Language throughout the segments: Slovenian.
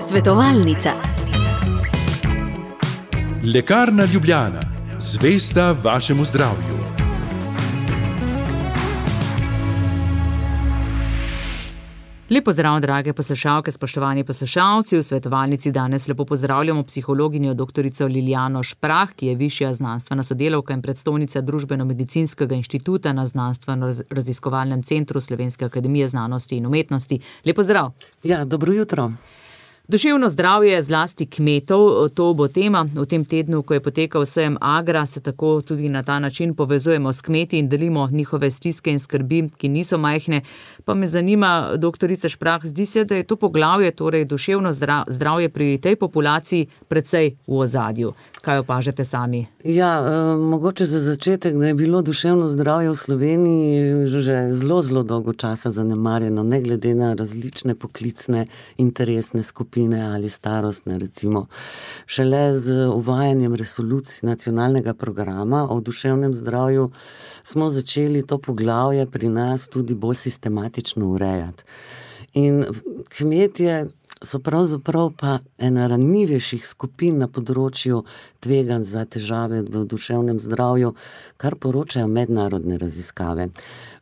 Svetovalnica. Lekarna Ljubljana, zvesta vašemu zdravju. Lep pozdrav, drage poslušalke, spoštovani poslušalci. V svetovalnici danes lepo pozdravljamo psihologinjo doktorico Lilijano Šprah, ki je višja znanstvena sodelavka in predstojnica Družbeno-medicinskega inštituta na Znanstveno-raziskovalnem centru Slovenske akademije znanosti in umetnosti. Lep pozdrav. Ja, dobro jutro. Duševno zdravje zlasti kmetov, to bo tema v tem tednu, ko je potekal sejem Agra, se tako tudi na ta način povezujemo s kmeti in delimo njihove stiske in skrbi, ki niso majhne. Pa me zanima, doktorica Šprah, zdi se, da je to poglavje, torej duševno zdravje pri tej populaciji precej v ozadju. Kaj opažate sami? Ja, mogoče za začetek, da je bilo duševno zdravje v Sloveniji že zelo dolgo časa zanemarjeno, ne glede na različne poklicne interesne skupine ali starostne, recimo. Šele z uvajanjem resolucij nacionalnega programa o duševnem zdravju smo začeli to poglavje pri nas tudi bolj sistematično urejati. In kmetje so pravzaprav pa ena ranljivejših skupin na področju tveganj za težave v duševnem zdravju, kar poročajo mednarodne raziskave.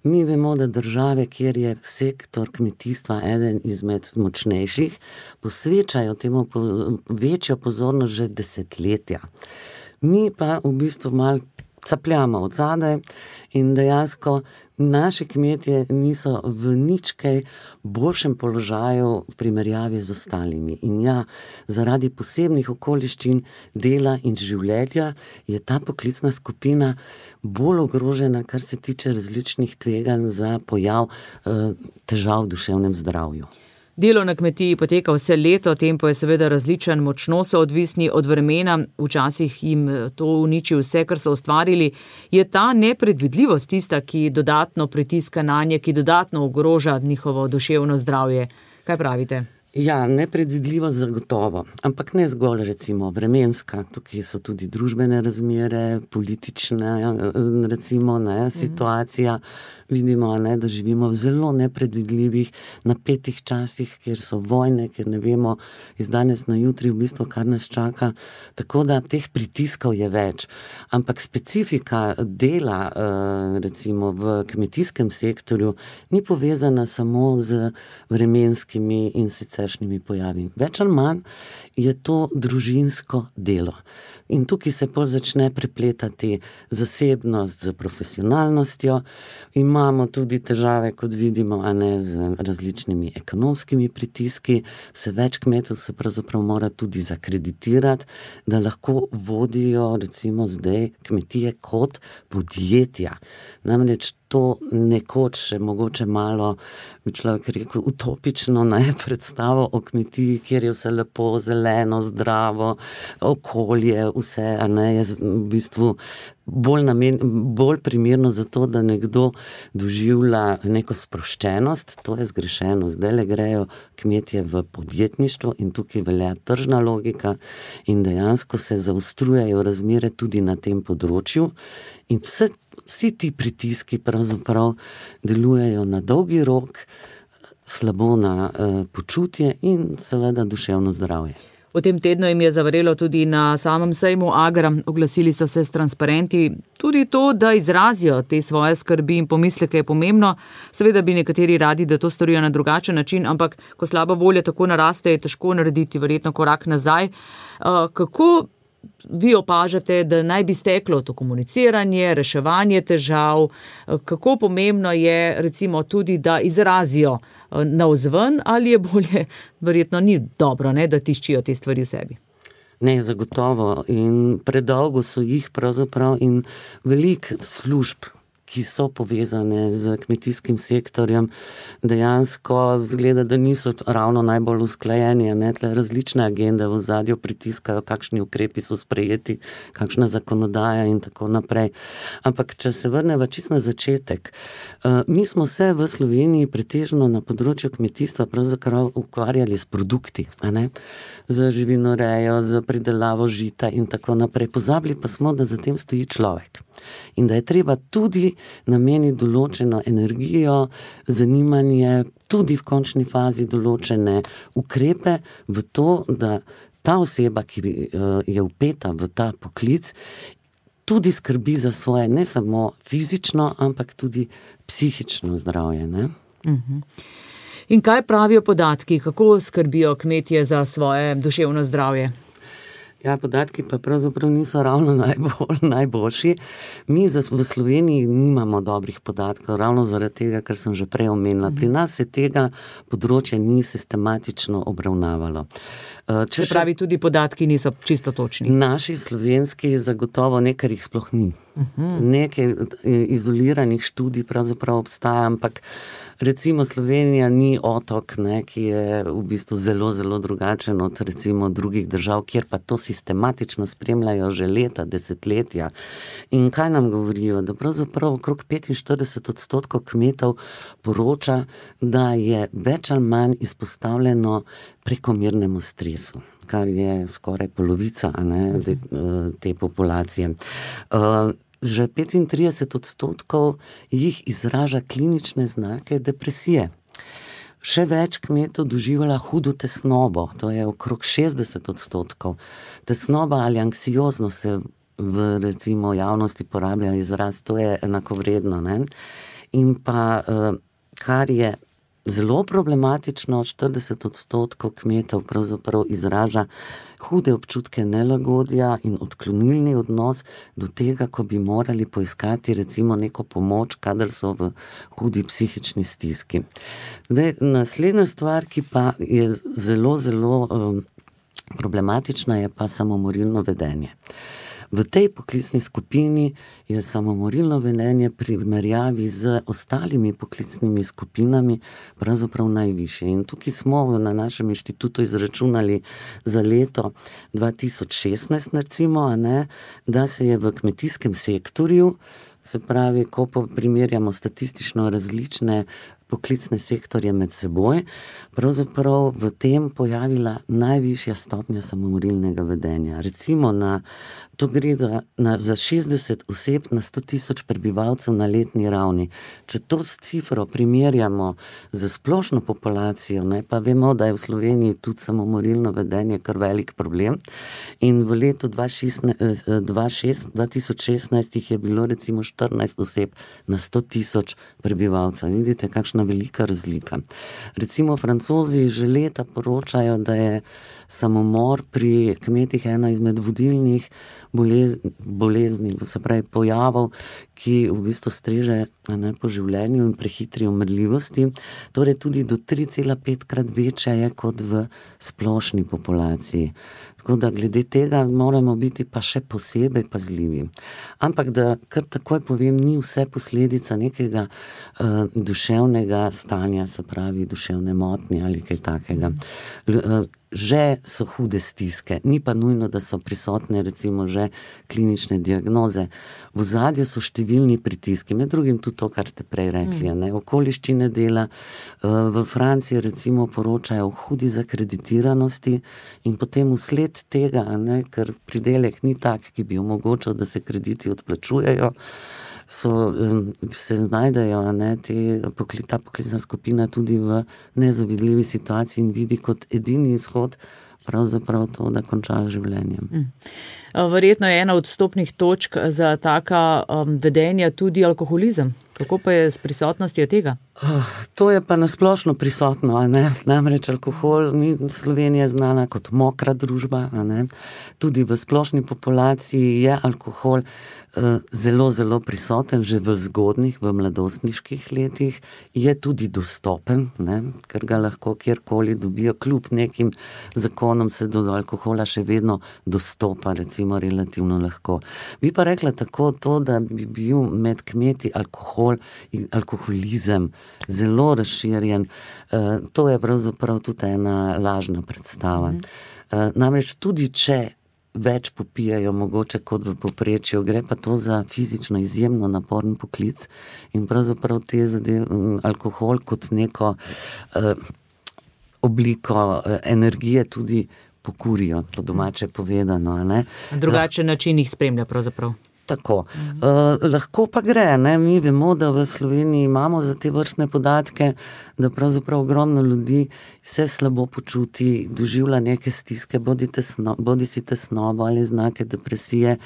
Mi vemo, da države, kjer je sektor kmetijstva eden izmed močnejših, posvečajo temu večjo pozornost že desetletja. Mi pa v bistvu malo capljamo od zadaj in dejansko naši kmetje niso v nič kaj boljšem položaju v primerjavi z ostalimi. In ja, zaradi posebnih okoliščin dela in življenja je ta poklicna skupina bolj ogrožena, kar se tiče različnih tveganj za pojav težav v duševnem zdravju. Delo na kmetiji poteka vse leto, tempo je seveda različen, močno so odvisni od vremena, včasih jim to uniči vse, kar so ustvarili. Je ta nepredvidljivost tista, ki dodatno pritiska nanje, ki dodatno ogroža njihovo duševno zdravje? Kaj pravite? Ja, nepredvidljivost zagotovo, ampak ne zgolj recimo vremenska, tukaj so tudi družbene razmere, politične recimo situacija. Vidimo, da živimo v zelo nepredvidljivih, napetih časih, kjer so vojne, kjer ne vemo iz danes na jutri v bistvu, kar nas čaka. Tako da teh pritiskov je več. Ampak specifika dela recimo v kmetijskem sektorju ni povezana samo z vremenskimi in siceršnjimi pojavi. Več ali manj je to družinsko delo. In tukaj se pol začne prepletati zasebnost z profesionalnostjo. Imamo tudi težave, kot vidimo, z različnimi ekonomskimi pritiski. Vse več kmetov se pravzaprav mora tudi zakreditirati, da lahko vodijo recimo zdaj kmetije kot podjetja. Namreč to nekoč še mogoče malo, bi človek rekel, utopično predstavo o kmetiji, kjer je vse lepo, zeleno, zdravo, okolje, vse, je v bistvu bolj primerno za to, da nekdo doživlja neko sproščenost. To je zgrešeno. Zdajle grejo kmetje v podjetništvo in tukaj velja tržna logika in dejansko se zaostrujejo razmere tudi na tem področju in vsi ti pritiski pravzaprav delujejo na dolgi rok, slabo na počutje in seveda duševno zdravje. V tem tednu jim je zavrelo tudi na samem sejmu Agra, oglasili so se s transparenti. Tudi to, da izrazijo te svoje skrbi in pomisleke, je pomembno. Seveda bi nekateri radi, da to storijo na drugačen način, ampak ko slaba volja tako naraste, je težko narediti verjetno korak nazaj. Kako vi opažate, da naj bi steklo to komuniciranje, reševanje težav? Kako pomembno je recimo tudi, da izrazijo navzven, ali je bolje, verjetno ni dobro, da tiščijo te stvari v sebi? Ne, zagotovo. In predolgo so jih pravzaprav in veliko služb, ki so povezane z kmetijskim sektorjem, dejansko zgleda, da niso ravno najbolj usklajeni, različne agende v ozadju pritiskajo, kakšni ukrepi so sprejeti, kakšna zakonodaja in tako naprej. Ampak, če se vrneva čisto na začetek, mi smo se v Sloveniji pretežno na področju kmetijstva pravzaprav ukvarjali s produkti, z živinorejo, z pridelavo žita in tako naprej. Pozabili pa smo, da za tem stoji človek in da je treba tudi nameni določeno energijo, zanimanje, tudi v končni fazi določene ukrepe v to, da ta oseba, ki je vpeta v ta poklic, tudi skrbi za svoje ne samo fizično, ampak tudi psihično zdravje, ne? In kaj pravijo podatki, kako skrbijo kmetje za svoje duševno zdravje? Ja, podatki pa pravzaprav niso ravno najboljši. Mi v Sloveniji nimamo dobrih podatkov, ravno zaradi tega, kar sem že prej omenila. Pri nas se tega področja ni sistematično obravnavalo. Se pravi, tudi podatki niso čisto točni. Naši slovenski zagotovo nekaj jih sploh ni. Nekaj izoliranih študij pravzaprav obstaja, ampak recimo Slovenija ni otok, ne, ki je v bistvu zelo, zelo drugačen od recimo drugih držav, kjer pa to sistematično spremljajo že leta, desetletja. In kaj nam govorijo? Da pravzaprav okrog 45% kmetov poroča, da je več ali manj izpostavljeno prekomernemu stresu, kar je skoraj polovica, ne, te populacije. Že 35% jih izraža klinične znake depresije. Še več kmetov doživlja hudo tesnobo, to je okrog 60%. Tesnoba ali anksioznost se v recimo javnosti porablja izraz, to je enakovredno, ne? In pa, kar je zelo problematično, 40% kmetov pravzaprav izraža hude občutke nelagodja in odklonilni odnos do tega, ko bi morali poiskati recimo neko pomoč, kadar so v hudi psihični stiski. Zdaj, naslednja stvar, ki pa je zelo, zelo problematična, je pa samomorilno vedenje. V tej poklicni skupini je samomorilno vedenje pri primerjavi z ostalimi poklicnimi skupinami pravzaprav najvišje. In tukaj smo na našem inštitutu izračunali za leto 2016, recimo, ne, da se je v kmetijskem sektorju, se pravi, ko primerjamo statistično različne poklicne sektorje med seboj, pravzaprav v tem pojavila najvišja stopnja samomorilnega vedenja. Recimo to gre za 60 oseb na 100.000 prebivalcev na letni ravni. Če to s cifro primerjamo z splošno populacijo, ne, pa vemo, da je v Sloveniji tudi samomorilno vedenje kar velik problem. In v letu 2016 jih je bilo recimo 14 oseb na 100.000 prebivalcev. Vidite, kakšna velika razlika. Recimo Francozi že leta poročajo, da je samomor pri kmetih ena izmed vodilnih bolezni, se pravi pojavov, ki v bistvu streže po življenju in prehitri umrljivosti. Torej tudi do 3,5-krat večja je kot v splošni populaciji. Tako da glede tega moramo biti pa še posebej pazljivi. Ampak da kar takoj povem, ni vse posledica nekega duševnega stanja, se pravi duševne motnje ali kaj takega. Že so hude stiske, ni pa nujno, da so prisotne recimo že klinične diagnoze. V ozadju so številni pritiski, med drugim tudi to, kar ste prej rekli, ne? Okoliščine dela. V Franciji recimo poročajo o hudi zakreditiranosti in potem vsled tega, ne, ker pridelek ni tak, ki bi omogočal, da se krediti odplačujejo, se znajdejo, ne, ta poklicna skupina tudi v nezavidljivi situaciji in vidi kot edini izhod pravzaprav to, da končajo življenjem. Verjetno je ena od vstopnih točk za taka vedenja tudi alkoholizem. Kako pa je s prisotnostjo tega? To je pa nasplošno prisotno, ne? Namreč alkohol, Slovenija je znana kot mokra družba, ne? Tudi v splošni populaciji je alkohol zelo, zelo prisoten, že v zgodnjih, v mladostniških letih, je tudi dostopen, ne? Ker ga lahko kjerkoli dobijo, kljub nekim zakonom se do alkohola še vedno dostopa, recimo relativno lahko. Bi pa rekla tako to, da bi bil med kmeti alkohol in alkoholizem zelo razširjen. To je pravzaprav tudi ena lažna predstava. Namreč tudi če več popijajo mogoče kot v povprečju, gre pa to za fizično izjemno naporen poklic in pravzaprav alkohol kot neko obliko energije tudi pokurijo, po domače povedano, ne? Drugačen način jih spremlja pravzaprav. Tako. Lahko pa gre, ne? Mi vemo, da v Sloveniji imamo za te vrstne podatke, da pravzaprav ogromno ljudi se slabo počuti, doživlja neke stiske, bodisi tesnobo ali znake depresije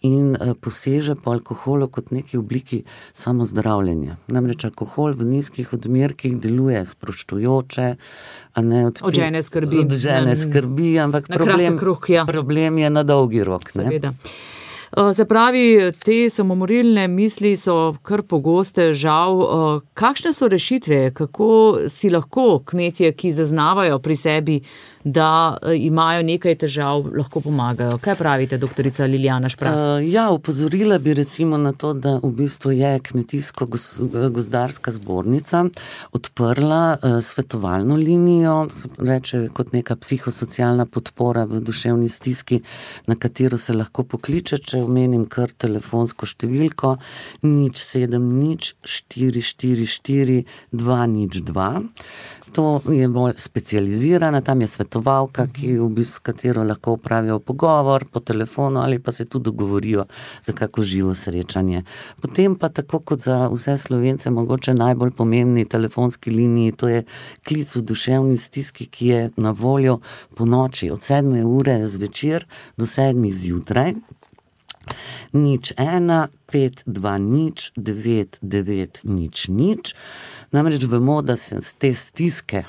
in poseže po alkoholu kot neki obliki samozdravljenja. Namreč alkohol v nizkih odmerkih deluje sproščujoče, od žene skrbi, ampak problem je na dolgi rok. Seveda. Se pravi, te samomorilne misli so kar pogoste, žal. Kakšne so rešitve, kako si lahko kmetje, ki zaznavajo pri sebi, da imajo nekaj težav, lahko pomagajo? Kaj pravite, doktorica Lilijana Šprah? Opozorila bi recimo na to, da v bistvu je Kmetijsko-gozdarska zbornica odprla svetovalno linijo, reče kot neka psihosocialna podpora v duševni stiski, na katero se lahko pokliče, če omenim kar telefonsko številko 070 444 202. To je bolj specializirana, tam je svetovalka, s katero lahko opravijo pogovor po telefonu ali pa se tudi dogovorijo za kako živo srečanje. Potem pa tako kot za vse Slovence mogoče najbolj pomembni telefonski liniji, to je klic v duševni stiski, ki je na voljo po noči od 7 ure zvečer do 7 zjutraj. 01 520 9900. Namreč vemo, da se te stiske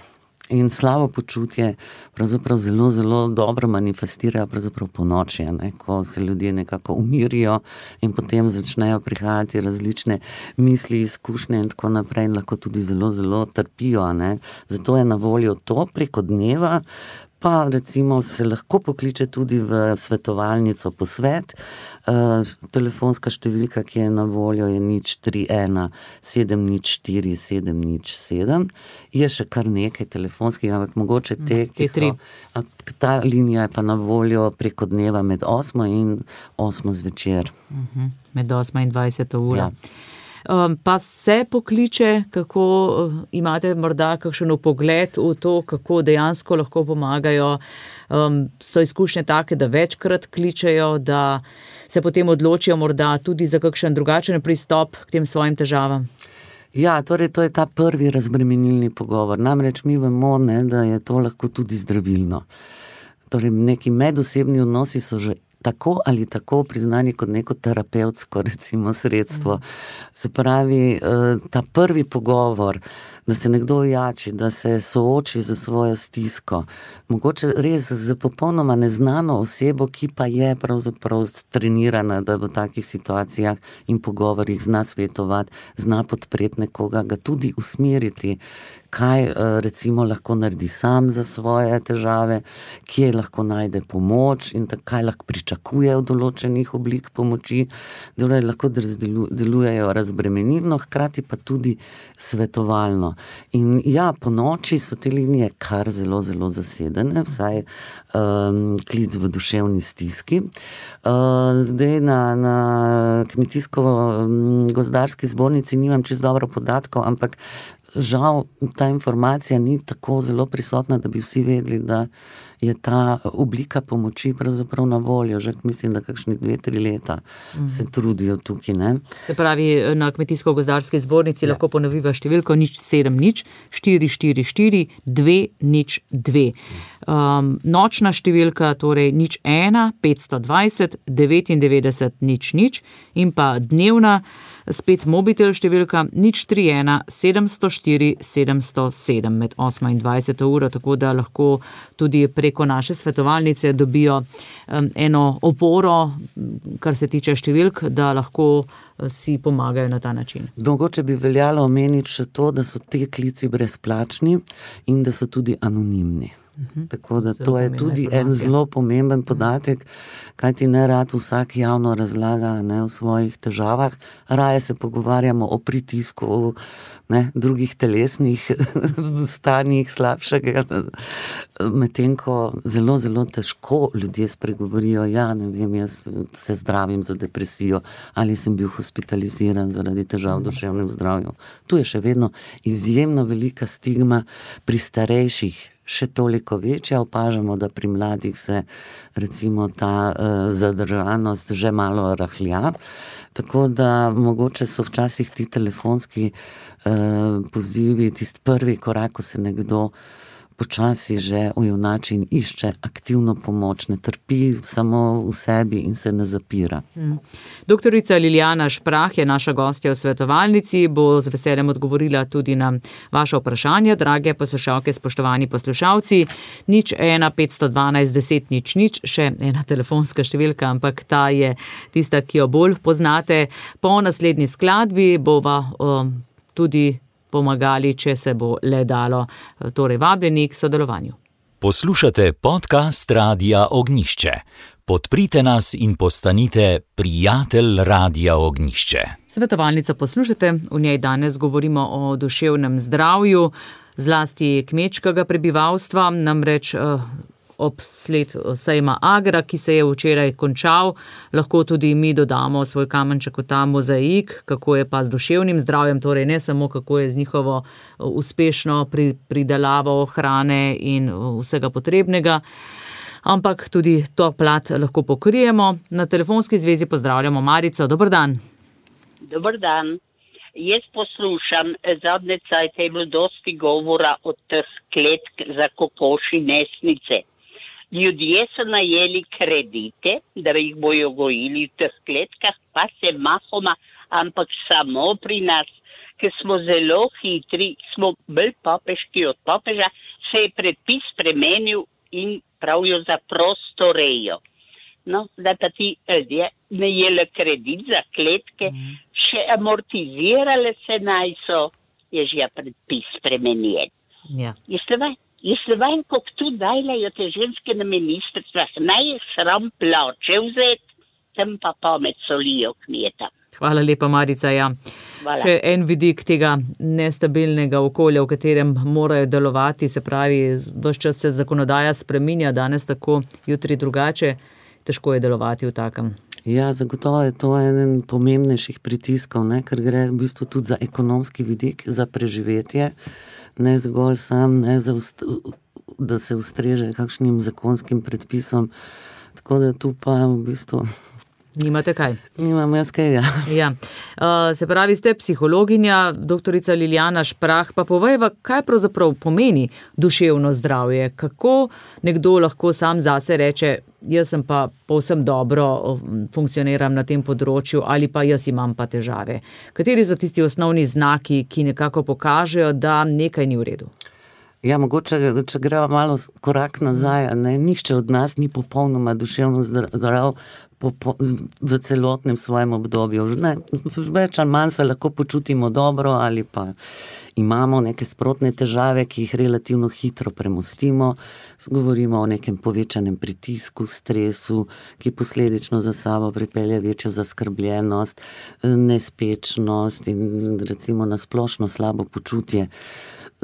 in slabo počutje pravzaprav zelo, zelo dobro manifestirajo pravzaprav po noči, ko se ljudje nekako umirijo in potem začnejo prihajati različne misli, izkušnje in tako naprej in lahko tudi zelo, zelo trpijo. Zato je na voljo to preko dneva, pa recimo se lahko pokliče tudi v svetovalnico posvet. Telefonska številka, ki je na voljo, je 031 704 707. Je še kar nekaj telefonskih, ampak mogoče te, ki so... Ta linija je pa na voljo preko dneva med 8 in 8 zvečer. Med 8 in 20 ura. Pa se pokliče, kako imate morda kakšen vpogled v to, kako dejansko lahko pomagajo? So izkušnje take, da večkrat kličejo, da se potem odločijo morda tudi za kakšen drugačen pristop k tem svojim težavam? Torej to je ta prvi razbremenilni pogovor. Namreč mi vemo, da je to lahko tudi zdravilno. Torej neki medosebni odnosi so že tako ali tako priznani kot neko terapevtsko recimo sredstvo. Se pravi, ta prvi pogovor, da se nekdo ojači, da se sooči za svojo stisko, mogoče res z popolnoma neznano osebo, ki pa je pravzaprav trenirana, da v takih situacijah in pogovorih zna svetovati, zna podpreti nekoga, ga tudi usmeriti, kaj recimo lahko naredi sam za svoje težave, kje lahko najde pomoč in kaj lahko pričakuje od določenih oblik pomoči, da lahko delujejo razbremenilno, hkrati pa tudi svetovalno. In po noči so te linije kar zelo, zelo zasedene, vsaj klic v duševni stiski. Zdaj na Kmetijsko-gozdarski zbornici nimam čisto dobro podatkov, ampak žal ta informacija ni tako zelo prisotna, da bi vsi vedeli, da je ta oblika pomoči pravzaprav na voljo. Že mislim, da kakšni 2-3 leta se trudijo tukaj. Se pravi, na Kmetijsko-gozdarski zbornici lahko ponoviva številko 070 444 202. Nočna številka, torej 01 520 99 00 in pa dnevna, spet mobitel številka 031 704 707 med 8 in 20 uro, tako da lahko tudi preko naše svetovalnice dobijo eno oporo, kar se tiče številk, da lahko si pomagajo na ta način. Mogoče bi veljalo omeniti še to, da so te klici brezplačni in da so tudi anonimni. Tako da to je tudi en zelo pomemben podatek, kajti nerad vsak javno razlaga o svojih težavah, raje se pogovarjamo o pritisku, o drugih telesnih stanjih slabšega, medtem ko zelo, zelo težko ljudje spregovorijo, jaz se zdravim za depresijo ali sem bil hospitaliziran zaradi težav v duševnem zdravju. Tu je še vedno izjemno velika stigma pri starejših še toliko večja. Opažamo, da pri mladih se recimo ta zadržanost že malo rahlja. Tako da mogoče so včasih ti telefonski pozivi, tisti prvi korak, ko se nekdo počasi že ujunači in išče aktivno pomoč, ne trpi samo v sebi in se ne zapira. Doktorica Lilijana Šprah je naša gostja v svetovalnici, bo z veseljem odgovorila tudi na vaše vprašanja, drage poslušalke, spoštovani poslušalci. 015121000, še ena telefonska številka, ampak ta je tista, ki jo bolj poznate. Po naslednji skladbi bova tudi pomagali, če se bo le dalo. Torej vabljeni k sodelovanju. Poslušate podcast Radia Ognjišče. Podprite nas in postanite prijatelj Radia Ognjišče. Svetovalnico poslušate, v njej danes govorimo o duševnem zdravju, zlasti kmečkega prebivalstva, namreč ob sled sejma Agra, ki se je včeraj končal, lahko tudi mi dodamo svoj kamenček v ta mozaik, kako je pa z duševnim zdravjem, torej ne samo kako je z njihovo uspešno pridelavo hrane in vsega potrebnega, ampak tudi to plat lahko pokrijemo. Na telefonski zvezi pozdravljamo Marico. Dober dan. Dober dan. Jaz poslušam, zadnje cajte je bilo dosti govora o teh kletk za kokoši nesnice. Ljudje so najeli kredite, da jih bojo gojili v teh kletkah, pa se mahoma, ampak samo pri nas, ker smo zelo hitri, smo bolj papeški od papeža, se je predpis spremenil in pravijo za prostorejo. No, zdaj pa ti ljudje najeli kredit za kletke, še amortizirale se naj so, je že predpis spremenjen. Ja. Jeste vajem, kako tu dajlajo te ženske na ministrstvah, naj je sram plače vzeti, tam pa pamet solijo kmeta. Hvala lepa, Marica. Ja. Še en vidik tega nestabilnega okolja, v katerem morajo delovati, se pravi, ves čas se zakonodaja spreminja, danes tako, jutri drugače, težko je delovati v takem. Ja, zagotovo je to eden pomembnejših pritiskov, ne, ker gre v bistvu tudi za ekonomski vidik, za preživetje, ne zgolj sam, ne da se ustreže kakšnim zakonskim predpisom, tako da tu pa v bistvu nimate kaj? Nimam jaz kaj, ja. Ja. Se pravi, ste psihologinja, doktorica Lilijana Šprah, pa povejva, kaj pravzaprav pomeni duševno zdravje, kako nekdo lahko sam zase reče, jaz sem pa povsem dobro funkcioniram na tem področju ali pa jaz imam pa težave. Kateri so tisti osnovni znaki, ki nekako pokažejo, da nekaj ni v redu? Ja, mogoče, če greva malo korak nazaj, ne, nihče od nas ni popolnoma duševno zdrav v celotnem svojem obdobju. Ne, več ali manj se lahko počutimo dobro ali pa imamo neke sprotne težave, ki jih relativno hitro premostimo. Govorimo o nekem povečanem pritisku, stresu, ki posledično za sabo pripelje večjo zaskrbljenost, nespečnost in recimo na splošno slabo počutje.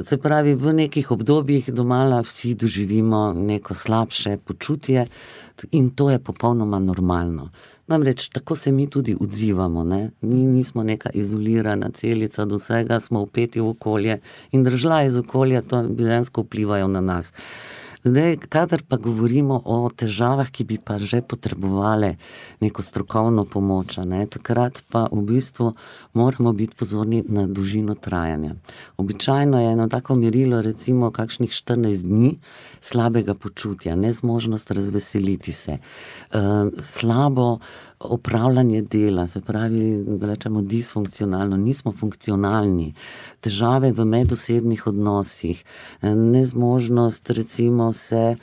Se pravi, v nekih obdobjih domala vsi doživimo neko slabše počutje in to je popolnoma normalno. Namreč tako se mi tudi odzivamo, ne? Mi nismo neka izolirana celica, do vsega smo vpeti v okolje in držljaje iz okolja to dejansko vplivajo na nas. Zdaj, kadar pa govorimo o težavah, ki bi pa že potrebovale neko strokovno pomoč, ne, takrat pa v bistvu moramo biti pozorni na dolžino trajanja. Običajno je eno tako merilo recimo kakšnih 14 dni slabega počutja, nezmožnost razveseliti se, slabo opravljanje dela, se pravi, rečemo disfunkcionalno, nismo funkcionalni, težave v medosebnih odnosih, nezmožnost recimo se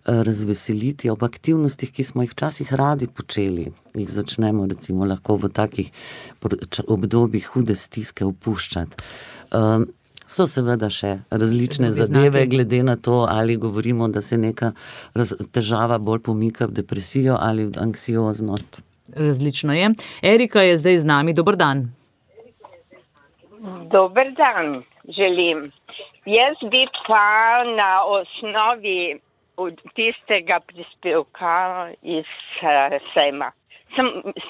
razveseliti ob aktivnostih, ki smo jih včasih radi počeli. Jih začnemo recimo lahko v takih obdobjih hude stiske opuščati. So seveda še različne zadeve, glede na to, ali govorimo, da se neka težava bolj pomika v depresijo ali v anksioznost. Različno je. Erika je zdaj z nami. Dober dan. Dober dan, želim. Jaz bi pa na osnovi tistega prispevka iz sejma.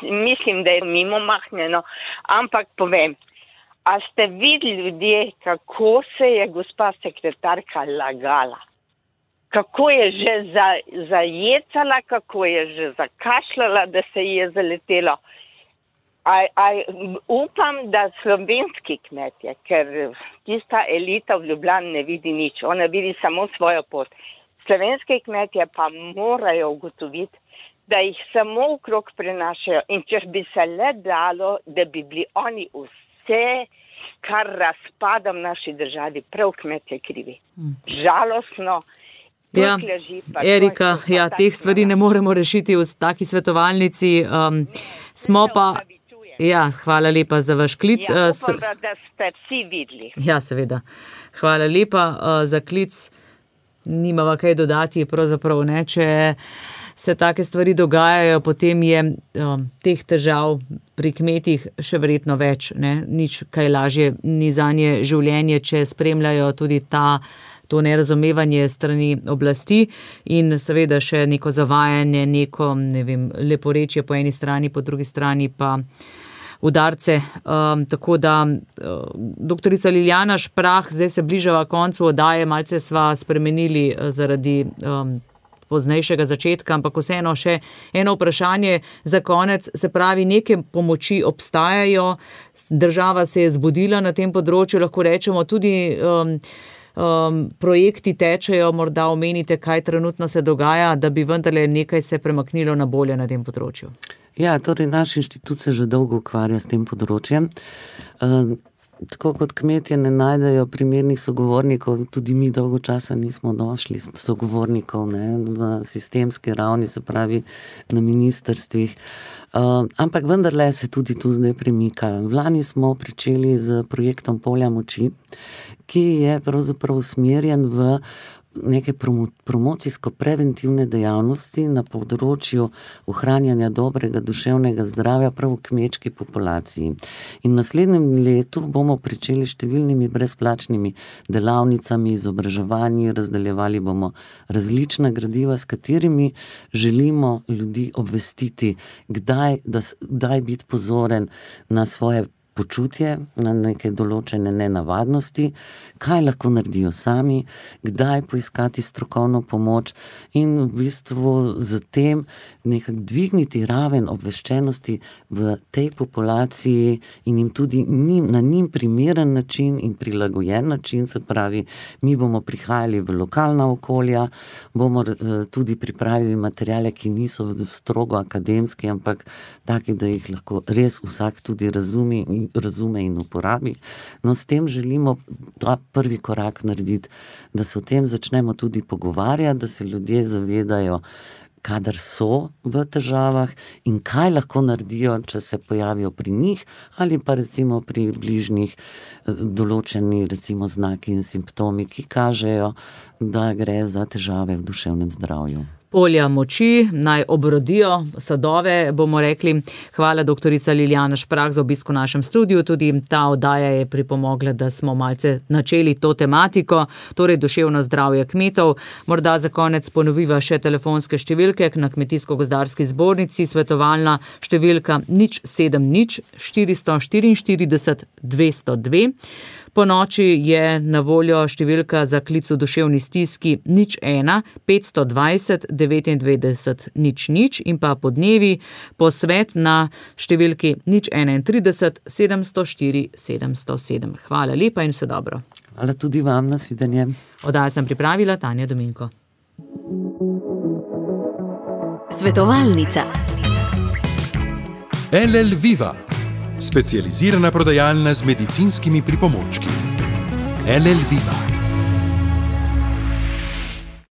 Mislim, da je mimo mahnjeno, ampak povem, a ste videli ljudje, kako se je gospa sekretarka lagala? kako je že zajecala, kako je že zakašljala, da se je zaletelo. Upam, da slovenski kmetje, ker tista elita v Ljubljani ne vidi nič, ona vidi samo svojo pot. Slovenski kmetje pa morajo ugotoviti, da jih samo okrog prenašajo in če bi se le dalo, da bi bili oni vse, kar razpada v naši državi, prav kmetje krivi. Žalostno. Ja, Erika, teh stvari ne moremo rešiti v taki svetovalnici. Smo pa... Ja, hvala lepa za vaš klic. Upam, da ste vsi videli. Ja, seveda. Hvala lepa za klic. Nimava kaj dodati, pravzaprav ne. Če se take stvari dogajajo, potem je teh težav pri kmetih še verjetno več. Ne? Nič kaj lažje ni zanje življenje, če spremljajo tudi to nerazumevanje strani oblasti in seveda še neko zavajanje, neko, leporečje po eni strani, po drugi strani pa udarce. Tako da, doktorica Lilijana Šprah, zdaj se bližava koncu oddaje, malce sva spremenili zaradi poznejšega začetka, ampak vseeno še eno vprašanje za konec. Se pravi, neke pomoči obstajajo, država se je zbudila na tem področju, lahko rečemo tudi projekti tečejo, morda omenite, kaj trenutno se dogaja, da bi vendarle nekaj se premaknilo na bolje na tem področju. Ja, torej naš inštitut se že dolgo ukvarja s tem področjem. Tako kot kmetje ne najdejo primernih sogovornikov, tudi mi dolgo časa nismo došli sogovornikov v sistemski ravni, se pravi na ministrstvih. Ampak vendarle se tudi tu zdaj premika. Lani smo pričeli z projektom Polja moči, ki je pravzaprav usmerjen v neke promocijsko-preventivne dejavnosti na področju ohranjanja dobrega duševnega zdravja prav v kmečki populaciji. In v naslednjem letu bomo pričeli številnimi brezplačnimi delavnicami, izobraževanji, razdeljevali bomo različna gradiva, s katerimi želimo ljudi obvestiti, kdaj biti pozoren na svoje počutje, na neke določene nenavadnosti, kaj lahko naredijo sami, kdaj poiskati strokovno pomoč in v bistvu z tem nekako dvigniti raven obveščenosti v tej populaciji in jim tudi na njim primeren način in prilagojen način, se pravi, mi bomo prihajali v lokalna okolja, bomo tudi pripravili materijale, ki niso strogo akademski, ampak taki, da jih lahko res vsak tudi razume in uporabi. No, s tem želimo ta prvi korak narediti, da se o tem začnemo tudi pogovarjati, da se ljudje zavedajo, kadar so v težavah in kaj lahko naredijo, če se pojavijo pri njih ali pa recimo pri bližnjih določeni recimo znaki in simptomi, ki kažejo, da gre za težave v duševnem zdravju. Polja moči naj obrodijo sadove, bomo rekli. Hvala doktorica Lilijana Šprah za obisk v našem studiu. Tudi ta oddaja je pripomogla, da smo malce načeli to tematiko, torej duševno zdravje kmetov. Morda za konec ponoviva še telefonske številke na Kmetijsko-gozdarski zbornici, svetovalna številka 070 444 202. Po noči je na voljo številka za klic v duševni stiski 01 520 99 00 in pa po dnevi posvet na številki 031 704 707. Hvala lepa in vse dobro. Hvala tudi vam, nasvidenje. Oddajo sem pripravila Tanja Dominko. Svetovalnica. LL Viva, specializirana prodajalna z medicinskimi pripomočki. LL Viva.